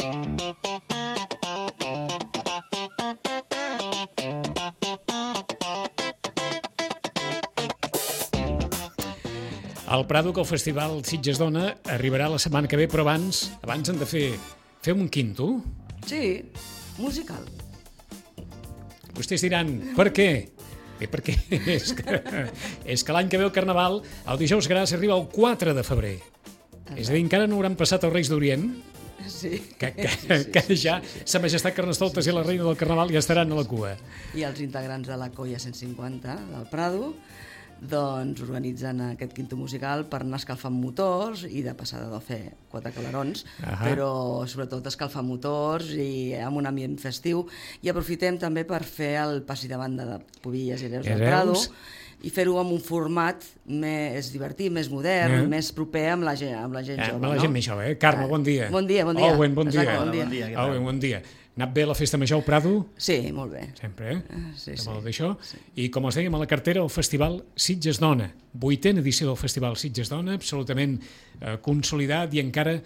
El Prado, que el Festival Sitges Dona arribarà la setmana que ve, però abans han de fer un quinto. Sí, musical. Vostès diran, per què? Perquè és que l'any que ve el Carnaval, el dijous gras, arriba el 4 de febrer. És a dir, encara no hauran passat els Reis d'Orient, Sí. que ja Sa Majestat Carnestoltes i la Reina del Carnaval ja estaran a la cua. I els integrants de la Colla 150 del Prado doncs organitzen aquest quinto musical per anar escalfant motors i de passada de fer 4 calarons, però sobretot escalfar motors i amb un ambient festiu. I aprofitem també per fer el passi de banda de Pubilles i Hereus del Prado i fer-ho amb un format més divertit, més modern, més proper amb la gent jove. Amb la gent més jove, Carme, bon dia. Bon dia, bon dia. Owen, bon dia. Exacte, Bon dia. Ha anat bé la festa major al Prado? Sí, molt bé. Sempre, Sí. Molt d'això. I com els dèiem a la cartera, el Festival Sitges Dona. 8a edició del Festival Sitges Dona, absolutament consolidat i encara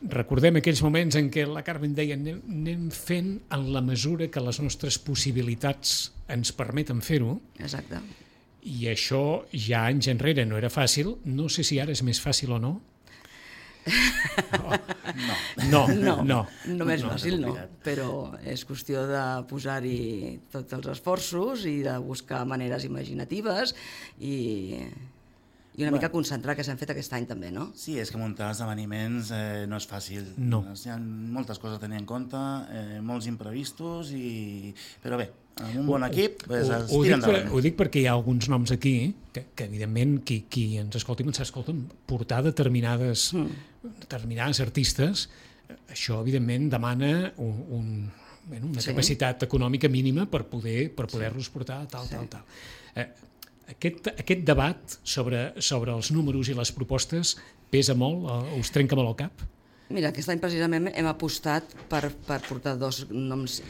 recordem aquells moments en què la Carmen deia anem fent en la mesura que les nostres possibilitats ens permeten fer-ho. Exacte. I això ja anys enrere no era fàcil. No sé si ara és més fàcil o no. No més fàcil no, però és qüestió de posar-hi tots els esforços i de buscar maneres imaginatives i una mica concentrar que s'han fet aquest any també, no? Sí, és que muntar esdeveniments no és fàcil. No. Hi ha moltes coses a tenir en compte, molts imprevistos, però bé, amb un bon equip es tira endavant. Ho dic perquè hi ha alguns noms aquí que evidentment, qui ens escolti ens escolten portar determinades artistes. Això, evidentment, demana una capacitat econòmica mínima per poder-los portar tal. Aquest debat sobre els números i les propostes pesa molt? Us trenca molt el cap? Mira, aquest any precisament hem apostat per portar dos noms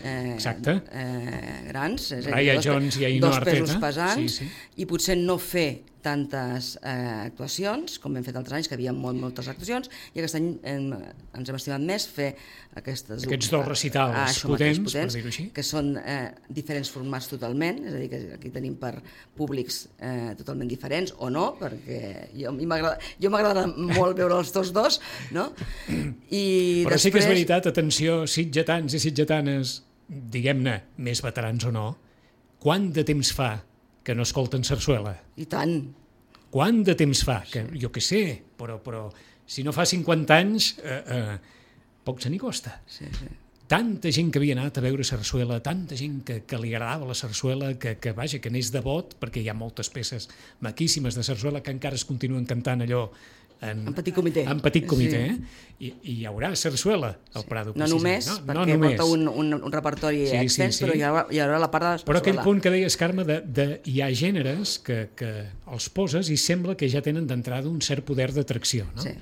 grans, Raya Jones i Ainhoa Arteta, dos pesos pesants, i potser no fer tantes actuacions com hem fet altres anys, que hi havia moltes actuacions, i aquest any ens hem estimat més fer aquests dos recitals potents, per dir-ho així, que són diferents formats totalment, és a dir, que aquí tenim per públics totalment diferents, o no, perquè jo m'agrada molt veure els tots dos, no? Però sí que és veritat, atenció, sitgetans i sitgetanes, diguem-ne, més veterans o no, quant de temps fa que no escolten sarsuela? I tant. Quant de temps fa? Que, jo què sé, però si no fa 50 anys, poc se n'hi costa. Sí. Tanta gent que havia anat a veure sarsuela, tanta gent que li agradava la sarsuela, que n'és devot, perquè hi ha moltes peces maquíssimes de sarsuela que encara es continuen cantant allò en petit comitè. I hi haurà sarsuela al Prado. No només, perquè porta un repertori extens, però hi haurà la part de la sarsuela. Però aquell punt que deies, Carme, hi ha gèneres que els poses i sembla que ja tenen d'entrada un cert poder d'atracció, no? Sí.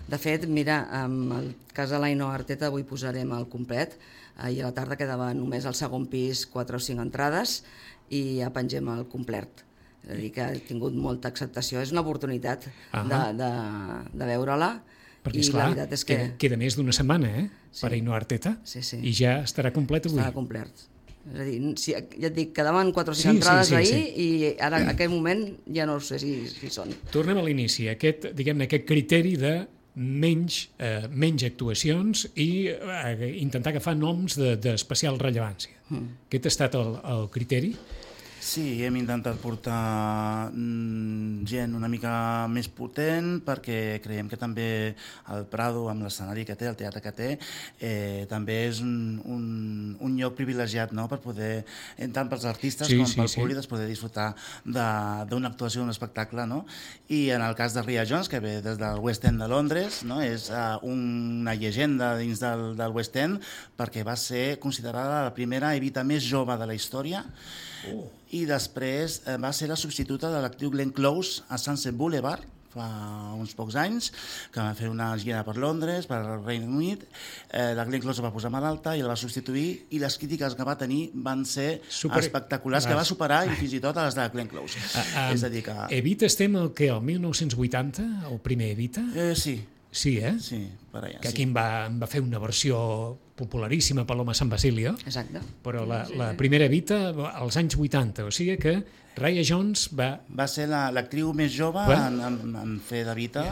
De fet, mira, en el cas de l'Ainhoa Arteta avui posarem el complet. Ahir a la tarda quedava només al segon pis 4 o 5 entrades i ja pengem el complet. És a dir, que ha tingut molta acceptació. És una oportunitat de veure-la. Perquè, esclar, queda més d'una setmana, per Ainhoa Arteta, i ja estarà complet avui. Estarà complet. És a dir, ja et dic, quedaven 4 o 5 entrades ahir i ara, en aquest moment, ja no sé si són. Tornem a l'inici, aquest criteri de menys actuacions i intentar agafar noms d'especial rellevància. Aquest ha estat el criteri? Sí, hem intentat portar gent una mica més potent perquè creiem que també el Prado, amb l'escenari que té, el teatre que té, també és un lloc privilegiat, no?, per poder, tant pels artistes com pel públic, poder disfrutar d'una actuació, d'un espectacle, no? I en el cas de Raya Jones, que ve des del West End de Londres, no?, és una llegenda dins del West End perquè va ser considerada la primera Evita més jove de la història. I després va ser la substituta de l'actriu Glenn Close a Sunset Boulevard fa uns pocs anys, que va fer una gira per Londres, per Regne Unit. La Glenn Close va posar malalta i la va substituir, i les crítiques que va tenir van ser espectaculars, que va superar i fins i tot a les de Glenn Close. És a dir que... Evita estem el 1980, el primer Evita? Sí. Sí, Sí, per allà, que aquí en va fer una versió popularíssima, Paloma San Basilio, Exacte. però la primera Evita als anys 80, o sigui que Raya Jones va... Va ser l'actriu més jove en fer de Vita.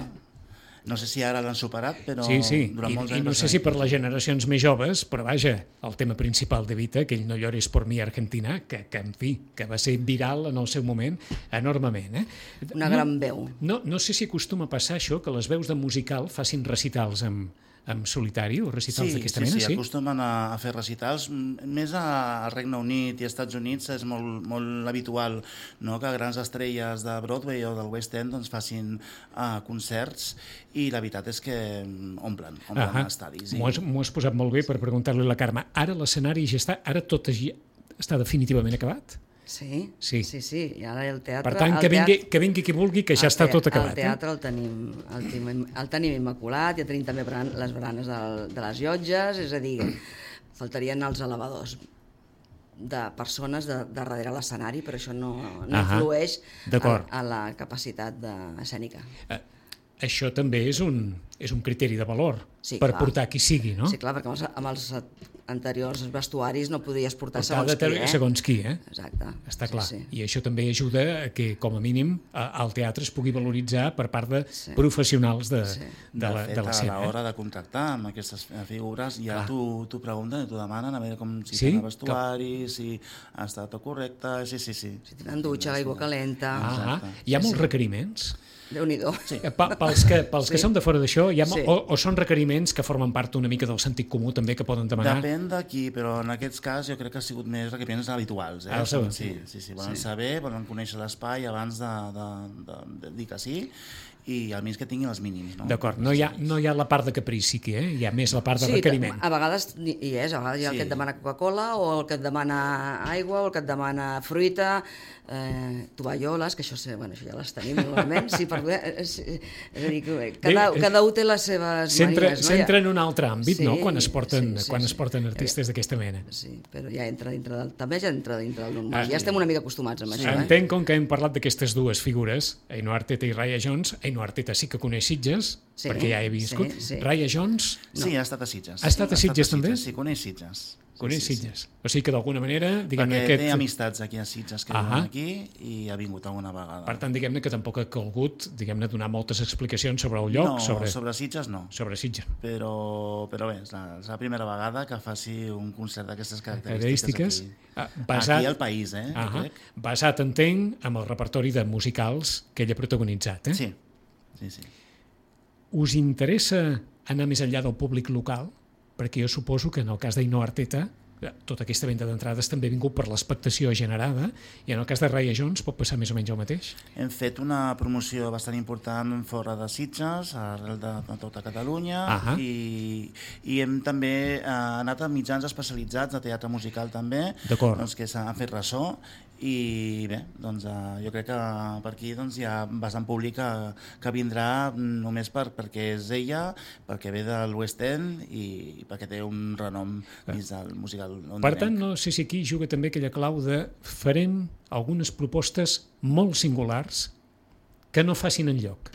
No sé si ara l'han superat, però Sí, durant molts anys... I no sé si per les generacions més joves, però vaja, el tema principal de Vita, aquell No llores por mi Argentina, que en fi, que va ser viral en el seu moment enormement. Una gran veu. No sé si acostuma a passar això, que les veus de musical facin recitals en solitari o recitals d'aquesta mena, sí? Sí, acostumen a fer recitals. Més al Regne Unit i als Estats Units és molt habitual, no?, que grans estrelles de Broadway o del West End doncs, facin concerts, i la veritat és que omplen estadis. M'ho has posat molt bé per preguntar-li a la Carme. Ara l'escenari ja està, ara tot està definitivament acabat? Sí. I ara el teatre... Per tant, que vingui qui vulgui, que ja està tot acabat. El teatre el tenim immaculat, ja tenim també les baranes de les llotges, és a dir, faltarien els elevadors de persones de darrere l'escenari, però això no influeix a la capacitat escènica. Això també és un criteri de valor per portar qui sigui, no? Sí, clar, perquè amb els anteriors vestuaris no podies portar segons qui. Segons qui, Exacte. Està clar. Sí. I això també ajuda a que, com a mínim, el teatre es pugui valoritzar per part de professionals de l'escena. A l'hora de contractar amb aquestes figures, ja t'ho pregunten i t'ho demanen, a veure si tenen vestuari, si ha estat tot correcte... Sí. Si tenen dutxa, aigua calenta... Hi ha molts requeriments? Déu-n'hi-do. Pels que som de fora d'això, o són requeriments que formen part una mica del sentit comú també que poden demanar? Depèn d'aquí, però en aquest cas jo crec que ha sigut més requeriments habituals. Sí, volen saber, volen conèixer l'espai abans de dir que sí, i almenys que tinguin els mínims. D'acord, no hi ha la part de caprici aquí, hi ha més la part de requeriment. Sí, a vegades hi ha el que et demana Coca-Cola, o el que et demana aigua, o el que et demana fruita, tovalloles, que això ja les tenim normalment, és a dir, que cada un té les seves manies. S'entra en un altre àmbit, no?, quan es porten artistes d'aquesta mena. Sí, però ja entra dintre del normal. Ja estem una mica acostumats amb això. Entenc, com que hem parlat d'aquestes dues figures, Ainhoa Arteta i Raya Jones. Ainhoa Arteta sí que coneix Sitges, perquè ja he viscut. Raya Jones... Sí, ha estat a Sitges. Ha estat a Sitges també? Sí, coneix Sitges. Coneix Sitges. O sigui que d'alguna manera... Perquè té amistats aquí a Sitges que viuen aquí i ha vingut alguna vegada. Per tant, diguem-ne que tampoc ha calgut donar moltes explicacions sobre el lloc. No, sobre Sitges no. Sobre Sitges. Però bé, és la primera vegada que faci un concert d'aquestes característiques aquí al país, crec. Basat, entenc, amb el repertori de musicals que ell ha protagonitzat, Sí. Us interessa anar més enllà del públic local? Perquè jo suposo que en el cas d'Ainhoa Arteta tota aquesta venda d'entrades també ha vingut per l'expectació generada, i en el cas de Raya Jones pot passar més o menys el mateix? Hem fet una promoció bastant important fora de Sitges, arrel de tota Catalunya, i hem també anat a mitjans especialitzats de teatre musical també, que s'han fet ressò, i bé, doncs jo crec que per aquí hi ha bastant públic que vindrà només perquè és ella, perquè ve del West End i perquè té un renom dins del musical. Per tant, no sé si aquí juga també aquella clau de farem algunes propostes molt singulars que no facin enlloc.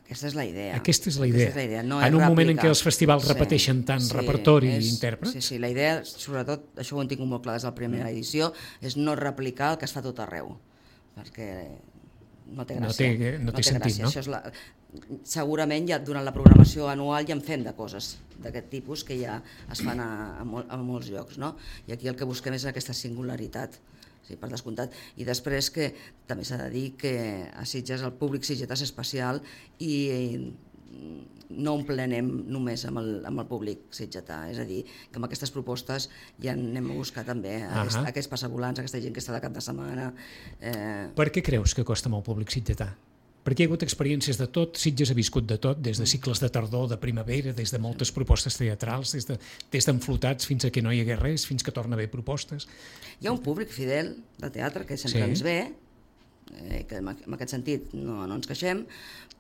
Aquesta és la idea. Aquesta és la idea. En un moment en què els festivals repeteixen tant repertori i intèrprets. Sí, la idea, sobretot, això ho hem tingut molt clar des de la primera edició, és no replicar el que es fa tot arreu, perquè no té gràcia. No té sentit, no? Segurament ja durant la programació anual ja en fem de coses d'aquest tipus que ja es fan a molts llocs, no? I aquí el que busquem és aquesta singularitat. Sí, per descomptat. I després que també s'ha de dir que a Sitges el públic sitgetà és especial i no emplenem només amb el públic sitgetà. És a dir, que amb aquestes propostes ja anem a buscar també aquests passavolants, aquesta gent que està de cap de setmana. Per què creus que costa molt el públic sitgetà? Perquè hi ha hagut experiències de tot, Sitges ha viscut de tot, des de cicles de tardor, de primavera, des de moltes propostes teatrals, des d'enflotats fins a que no hi hagués res, fins que torna a haver propostes. Hi ha un públic fidel de teatre que sempre ens ve, que en aquest sentit no ens queixem,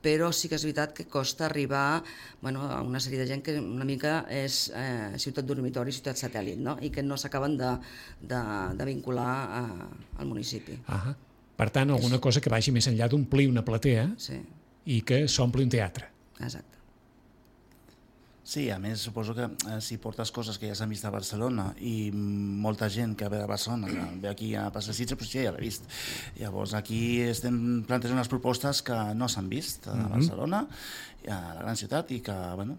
però sí que és veritat que costa arribar a una sèrie de gent que una mica és ciutat dormitori, ciutat satèl·lit, no? I que no s'acaben de vincular al municipi. Per tant, alguna cosa que vagi més enllà d'omplir una platea i que s'ompli un teatre. Exacte. Sí, a més suposo que si portes coses que ja s'han vist a Barcelona i molta gent que ve de Barcelona ve aquí a passar Sitges, doncs ja l'ha vist. Llavors aquí estem plantejant unes propostes que no s'han vist a Barcelona, a la gran ciutat, i que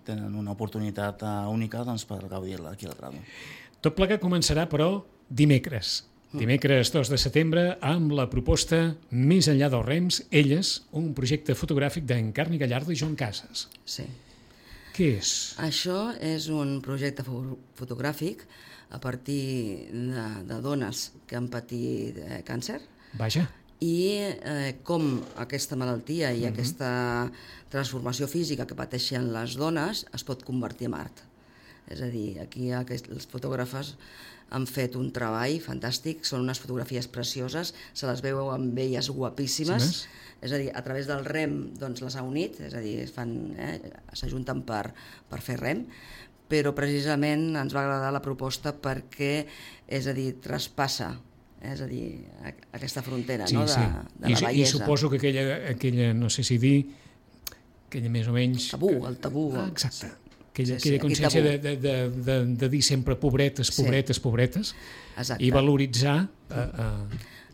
tenen una oportunitat única per gaudir-la aquí al Prado. Tot plegat començarà, però, dimecres 2 de setembre, amb la proposta Més enllà dels rems, Elles, un projecte fotogràfic d'Encarni Gallardo i Joan Casas. Sí. Què és? Això és un projecte fotogràfic a partir de dones que han patit càncer. Vaja. I com aquesta malaltia i aquesta transformació física que pateixen les dones es pot convertir en art. És a dir, aquí les fotògrafes han fet un treball fantàstic, són unes fotografies precioses, se les veu amb elles guapíssimes, és a dir, a través del rem les ha unit, és a dir, s'ajunten per fer rem, però precisament ens va agradar la proposta perquè, és a dir, traspassa, és a dir, aquesta frontera de la bellesa. I suposo que aquella, no sé si dir, aquella més o menys... El tabú. Exacte. Aquella consciència de dir sempre pobretes, i valoritzar...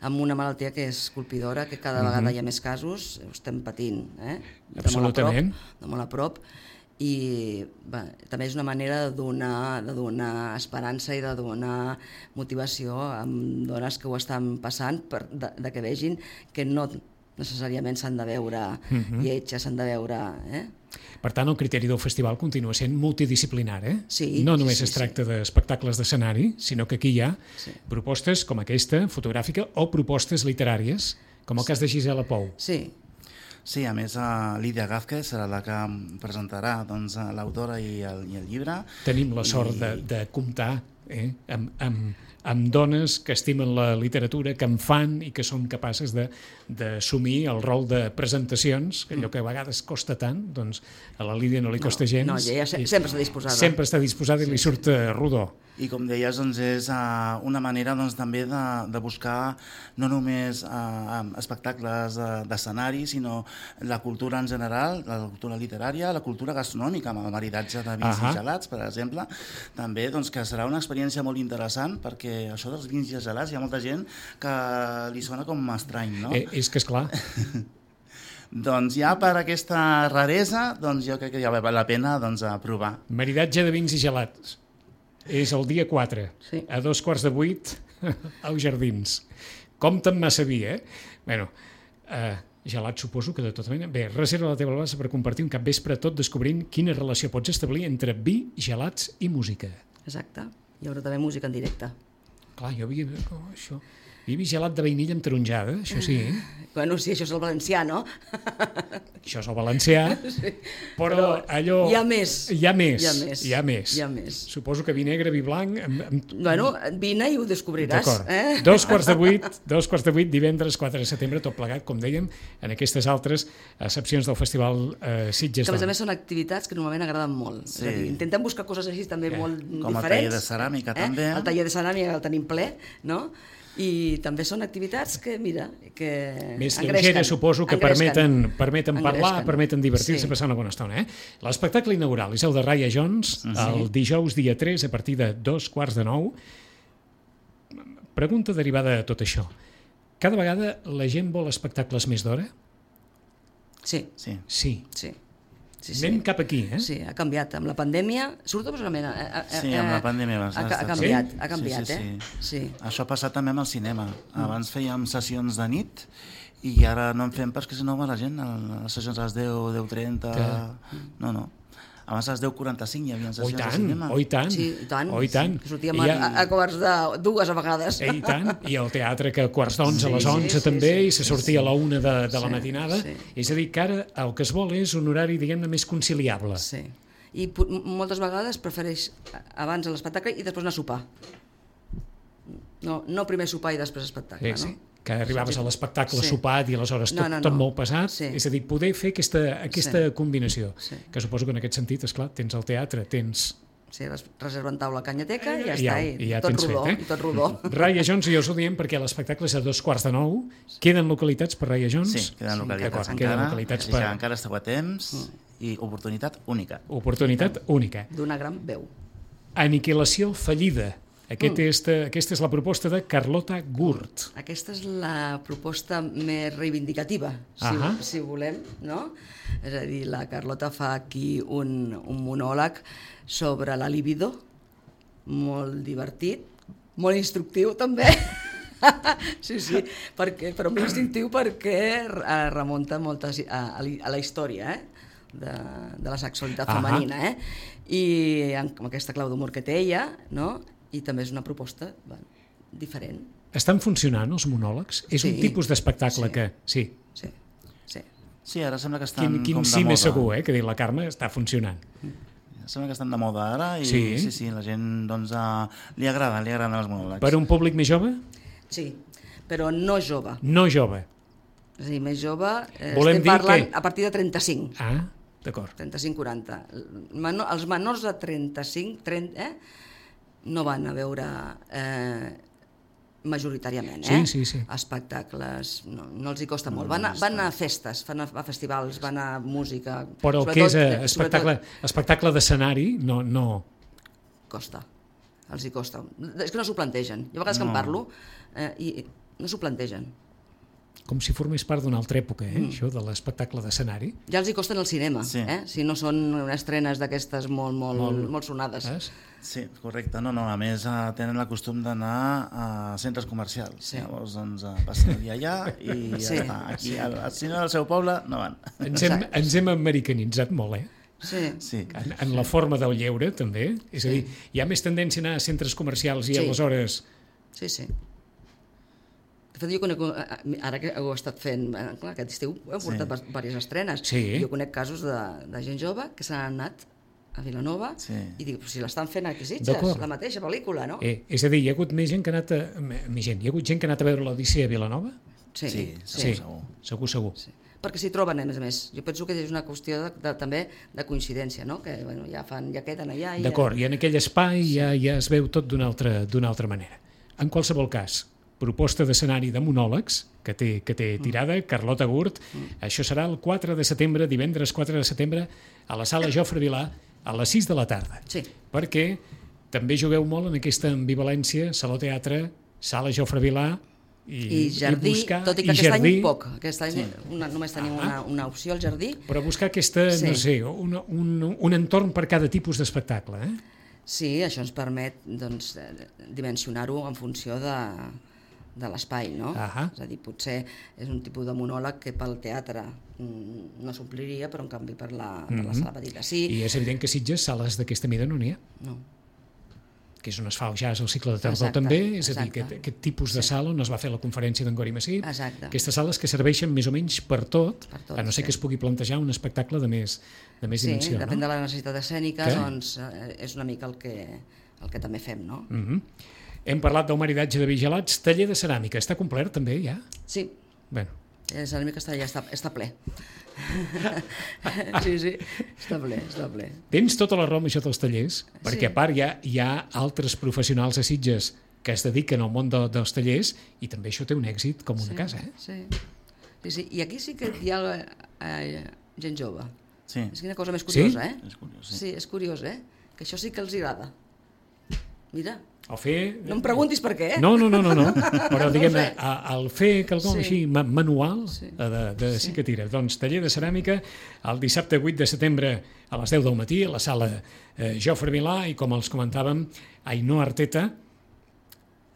Amb una malaltia que és colpidora, que cada vegada hi ha més casos, ho estem patint, Absolutament. de molt a prop, i també és una manera de donar esperança i de donar motivació a dones que ho estan passant, de que vegin que no necessàriament s'han de veure lletges, s'han de veure... Per tant, el criteri del festival continua sent multidisciplinar, Sí, no només es tracta d'espectacles d'escenari, sinó que aquí hi ha propostes com aquesta, fotogràfica, o propostes literàries, com el cas de Gisela Pou. Sí, a més, Lídia Gázquez serà la que presentarà l'autora i el llibre. Tenim la sort de comptar amb dones que estimen la literatura, que en fan i que són capaces d'assumir el rol de presentacions, que allò que a vegades costa tant, doncs a la Lídia no li costa gens. No, ella sempre està disposada. Sempre està disposada i li surt rodó. I com deies, és una manera també de buscar no només espectacles d'escenari, sinó la cultura en general, la cultura literària, la cultura gastronòmica, amb el maridatge de vins i gelats, per exemple, també que serà una experiència molt interessant, perquè això dels vins i gelats hi ha molta gent que li sona com estrany, no? És que esclar. Doncs ja per aquesta raresa, jo crec que ja val la pena provar. Maridatge de vins i gelats. És el dia 4, a 7:15, als Jardins. Compte amb massa vi, Bueno, gelat suposo que de tota manera... Bé, reserva la teva plaça per compartir un capvespre tot descobrint quina relació pots establir entre vi, gelats i música. Exacte. Hi haurà també música en directe. Clar, jo havia... Això... Vi gelat de vainilla amb taronjada, això sí. Bueno, sí, això és el valencià, no? Això és el valencià, però allò... Hi ha més. Hi ha més. Suposo que vi negre, vi blanc... Bueno, vine i ho descobriràs. D'acord. 7:15, divendres 4 de setembre, tot plegat, com dèiem, en aquestes altres seccions del Festival Sitges. Que a més són activitats que normalment agraden molt. És a dir, intentem buscar coses així també molt diferents. Com el taller de ceràmica, també. El taller de ceràmica el tenim ple, no? I també són activitats que, mira, que més lleugeres, suposo, que permeten parlar, permeten divertir-se, passar una bona estona. L'espectacle inaugural és el de Raya Jones, el dijous dia 3, a partir de 8:45. Pregunta derivada de tot això. Cada vegada la gent vol espectacles més d'hora? Sí. Anem cap aquí, Sí, ha canviat. Amb la pandèmia, sortosament... Sí, amb la pandèmia ha canviat, Sí. Això ha passat també amb el cinema. Abans fèiem sessions de nit i ara no en fem perquè si no va la gent a les sessions a les 10, 10:30... No. Abans a les 10:45 hi havia sessions de cinema. Oh, i tant. Sí, i tant. Sortíem a 2:15 a vegades. I tant. I el teatre que a 11:15 a les 11 també, i se sortia a la 1 de la matinada. És a dir, que ara el que es vol és un horari, diguem-ne, més conciliable. Sí. I moltes vegades prefereix abans l'espectacle i després anar a sopar. No primer sopar i després espectacle, no? Que arribaves a l'espectacle sopat i aleshores tot molt pesat, és a dir, poder fer aquesta combinació, que suposo que en aquest sentit, esclar, tens el teatre, tens Sí, reserven taula Canyateca i ja I està, ja tot tens rodó, fet, i tot rodó. Raya Jones, i us ho diem perquè l'espectacle és a 2:15. Queden localitats per Raya Jones? Sí, queden localitats D'acord, encara, queden localitats així que encara esteu a temps i oportunitat única. Oportunitat única. D'una gran veu. Aniquilació fallida. Aquesta és la proposta de Carlota Gurt. Aquesta és la proposta més reivindicativa, si volem, no? És a dir, la Carlota fa aquí un monòleg sobre la libido, molt divertit, molt instructiu també. Sí, però molt instructiu perquè remunta a la història de la sexualitat femenina, i amb aquesta clau d'humor que té ella, no? I també és una proposta diferent. Estan funcionant els monòlegs? És un tipus d'espectacle que... Sí. Sí, ara sembla que estan com de moda. Quin sí més segur, que diu la Carme, està funcionant. Sembla que estan de moda ara i sí, la gent doncs, li agraden els monòlegs. Per un públic més jove? Sí, però no jove. No jove. És a dir, més jove, estem parlant a partir de 35. Ah, d'acord. 35-40. Els menors de 35, no van a veure majoritàriament sí. espectacles, no els hi costa molt, van a festes, van a festivals, van a música, però el que és espectacle d'escenari no costa, els hi costa, és que no s'ho plantegen, jo a vegades que en parlo i no s'ho plantegen, com si formés part d'una altra època, això de l'espectacle d'escenari. Ja els hi costen el cinema, si no són estrenes d'aquestes molt sonades. Sí, correcte. No, a més tenen el costum d'anar a centres comercials. Llavors, doncs, passen el dia allà i ja està. Aquí, al cine del seu poble, no van. Ens hem americanitzat molt, Sí. En la forma del lleure, també. És a dir, hi ha més tendència a anar a centres comercials i aleshores... Sí. De fet, jo conec, ara que ho he estat fent, clar, aquest estiu he portat diverses estrenes. Jo conec casos de gent jove que s'han anat a Vilanova i dic, si l'estan fent aquí a Sitges, la mateixa pel·lícula, no? És a dir, hi ha hagut més gent que ha anat hi ha hagut gent que ha anat a veure l'Odissea a Vilanova? Sí, segur. Perquè s'hi troben, a més. Jo penso que és una qüestió també de coincidència, no? Que ja queden allà. D'acord, i en aquell espai ja es veu tot d'una altra manera. En qualsevol cas, proposta d'escenari de monòlegs que té tirada, Carlota Gurt. Això serà el 4 de setembre, divendres 4 de setembre, a la sala Jofre Vilà, a les 6 de la tarda. Sí. Perquè també jugueu molt en aquesta ambivalència, Saló Teatre, sala Jofre Vilà i jardí, tot i que aquest any poc. Aquest any només tenim una opció al jardí. Però buscar aquesta, no sé, un entorn per cada tipus d'espectacle, Sí, això ens permet dimensionar-ho en funció de l'espai, no? És a dir, potser és un tipus de monòleg que pel teatre no s'ompliria, però en canvi per la sala petita sí. I és evident que a Sitges sales d'aquesta mida no n'hi ha. No. Que és on es fa el jazz al cicle de tardor també, és a dir, aquest tipus de sala on es va fer la conferència d'en Gori Massip, aquestes sales que serveixen més o menys per tot, a no ser que es pugui plantejar un espectacle de més dimensió. Sí, depèn de la necessitat escènica, doncs és una mica el que també fem, no? Hem parlat del maridatge de vigilats, taller de ceràmica, està complert també ja? Sí. Bueno. El ceràmica està ple. Sí, està ple. Tens tota la raó amb això dels tallers, perquè a part hi ha altres professionals a Sitges que es dediquen al món dels tallers i també això té un èxit com una casa. Sí. I aquí sí que hi ha gent jove. Sí. És una cosa més curiosa, És curiós, sí, és curiós, que això sí que els agrada. Mira. No em preguntis per què, No, però diguem-ne, el fer quelcom així manual sí que tira. Doncs taller de ceràmica el dissabte 8 de setembre a les 10 del matí a la sala Jofre Vilà i com els comentàvem, Ainhoa Arteta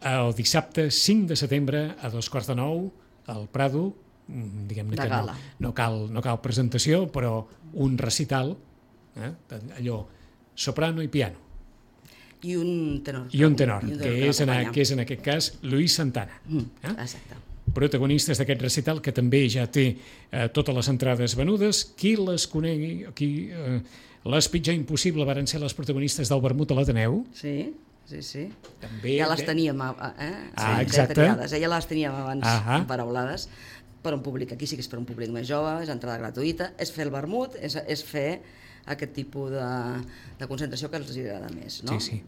el dissabte 5 de setembre a 8:45 al Prado, diguem-ne que no cal presentació, però un recital, allò, soprano i piano. I un tenor. Que és en aquest cas Luis Santana. Exacte. Protagonistes d'aquest recital, que també ja té totes les entrades venudes. Qui les conegui, les Pitjà Impossible varen ser les protagonistes del Vermut a l'Ateneu. Sí. També, ja les teníem exacte. Ja les teníem abans paraulades per un públic, aquí sí que és per un públic més jove, és entrada gratuïta, és fer el vermut, és fer aquest tipus de concentració que els agrada més, no? Sí, sí.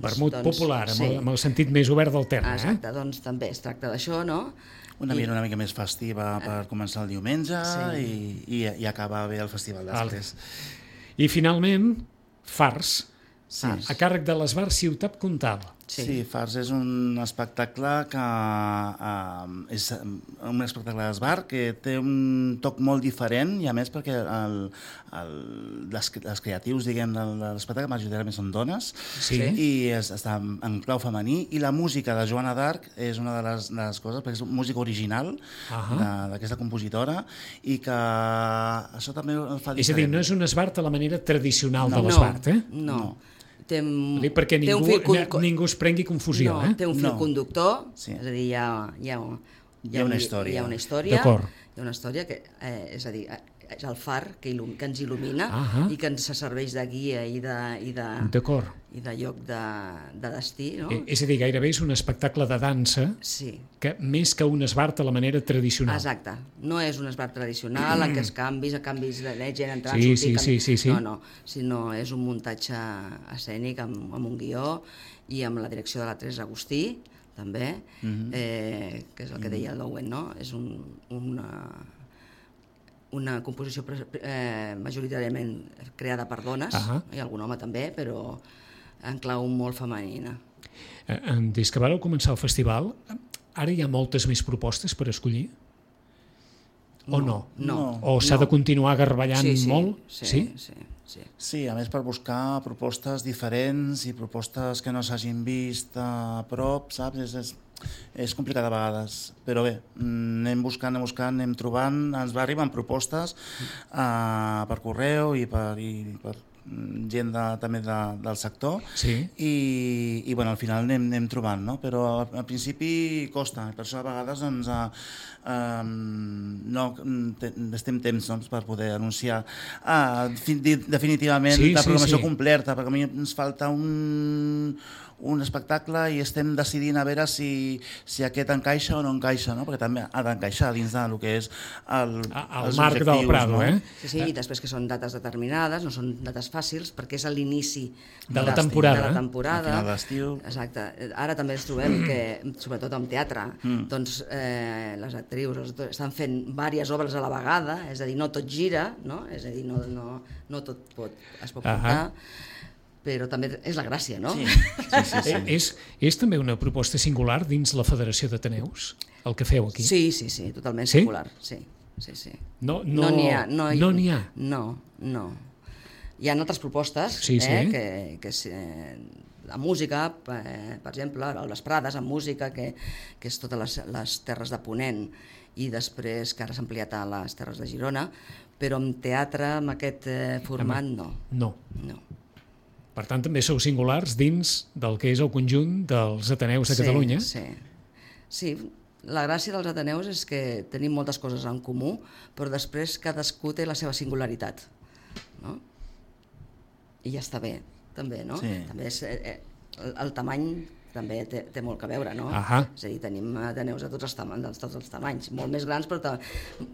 Vermut popular, amb el sentit més obert del terme. Exacte, doncs també es tracta d'això, no? Una mica més festiva per començar el diumenge i acabar bé el festival després. I finalment, Fars, a càrrec de l'Esbar Ciutat Comtal. Sí, Fars és un espectacle és un espectacle d'esbar que té un toc molt diferent i a més perquè els creatius, diguem, de l'espectacle majoritàriament són dones i està en clau femení i la música de Joana d'Arc és una de les coses, perquè és música original d'aquesta compositora i que això també el fa diferent. És a dir, no és un esbart a la manera tradicional de l'esbart, No. Perquè ningú es prengui confusió. Té un fil conductor, és a dir, hi ha una història. Hi ha una història que, és a dir, és el far que ens il·lumina i que ens serveix de guia i de lloc de destí. No? És a dir, gairebé és un espectacle de dansa que més que un esbart a la manera tradicional. Exacte. No és un esbart tradicional en què els canvis de gent entrant, sortir... No, sinó és un muntatge escènic amb un guió i amb la direcció de la Teresa Agustí, també, que és el que deia el Lowen, no? És una composició majoritàriament creada per dones, i algun home també, però en clau molt femenina. Des que vareu començar el festival, ara hi ha moltes més propostes per escollir? O no? O s'ha de continuar garballant molt? Sí, a més per buscar propostes diferents i propostes que no s'hagin vist a prop, saps? És complicat a vegades, però bé, anem buscant, anem trobant, ens arriben propostes per correu i per gent també del sector i bueno, al final anem trobant, no? Però al principi costa, per això a vegades no estem temps per poder anunciar definitivament la programació completa, perquè a mi ens falta un espectacle i estem decidint a veure si aquest encaixa o no encaixa, no? Perquè també ha d'encaixar dins del que és els marc del Prado, no? Sí, i després que són dates determinades, no són dates fàcils, perquè és a l'inici de la temporada. Al final d'estiu. Exacte. Ara també ens trobem que, sobretot en teatre, doncs les actrius estan fent diverses obres a la vegada, és a dir, no tot gira, no? És a dir, no tot es pot portar, però també és la gràcia, no? És també una proposta singular dins la Federació d'Ateneus, el que feu aquí? Sí, totalment singular, sí. No n'hi ha? No. Hi ha altres propostes, que la música, per exemple, a les Prades, en música, que és totes les terres de Ponent, i després que ara s'ha ampliat a les terres de Girona, però en teatre, amb aquest format, no. Per tant, també sou singulars dins del que és el conjunt dels Ateneus de Catalunya. Sí, la gràcia dels Ateneus és que tenim moltes coses en comú, però després cadascú té la seva singularitat, no? I ja està bé, també, no? També el tamany també té molt a veure, no? És a dir, tenim Ateneus de tots els tamanys, molt més grans, però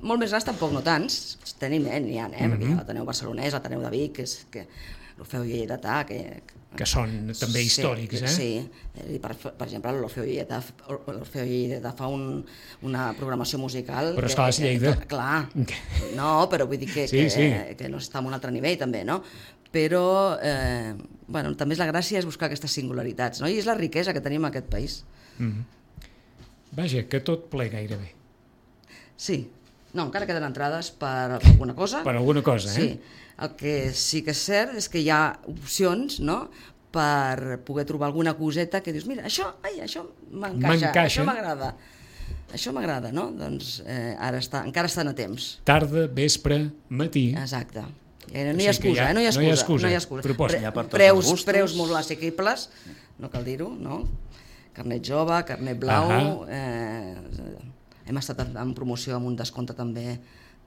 molt més grans tampoc no tants, tenim, n'hi ha, perquè hi ha l'Ateneu barcelonès, l'Ateneu de Vic, l'Orfeu Lleidatà, que són també històrics, Sí, per exemple, l'Orfeu Lleidatà fa una programació musical... Però esclar, és Lleida. Clar, no, però vull dir que no està en un altre nivell, també, no? Però, també és la gràcia és buscar aquestes singularitats, no? I és la riquesa que tenim en aquest país. Vaja, que tot ple gairebé. Sí. No, encara queden entrades per alguna cosa. Per alguna cosa, Sí. El que sí que és cert és que hi ha opcions, no?, per poder trobar alguna coseta que dius, mira, això m'encaixa, això m'agrada, no? Doncs encara estan a temps. Tarda, vespre, matí... Exacte. No hi ha excusa, no hi ha excusa. Preus molt assequibles, no cal dir-ho, no? Carnet jove, carnet blau... Hem estat en promoció amb un descompte també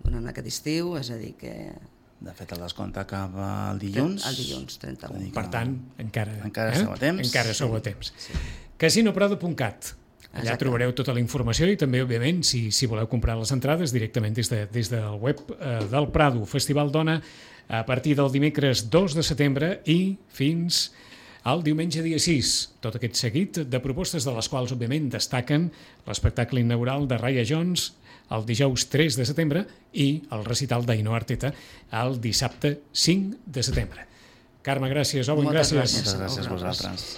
durant aquest estiu, és a dir que... De fet, el descompte acaba el dilluns. El dilluns, 31. Per tant, encara sou a temps. Encara sou a temps. Casinoprado.cat. Allà trobareu tota la informació i també, òbviament, si voleu comprar les entrades directament des del web del Prado. Festival Dona a partir del dimecres 2 de setembre i fins al diumenge dia 6. Tot aquest seguit de propostes de les quals, òbviament, destaquen l'espectacle inaugural de Raya Jones el dijous 3 de setembre i el recital d'Ainhoa Arteta el dissabte 5 de setembre. Carme, gràcies. Owen, gràcies. Moltes gràcies a vosaltres.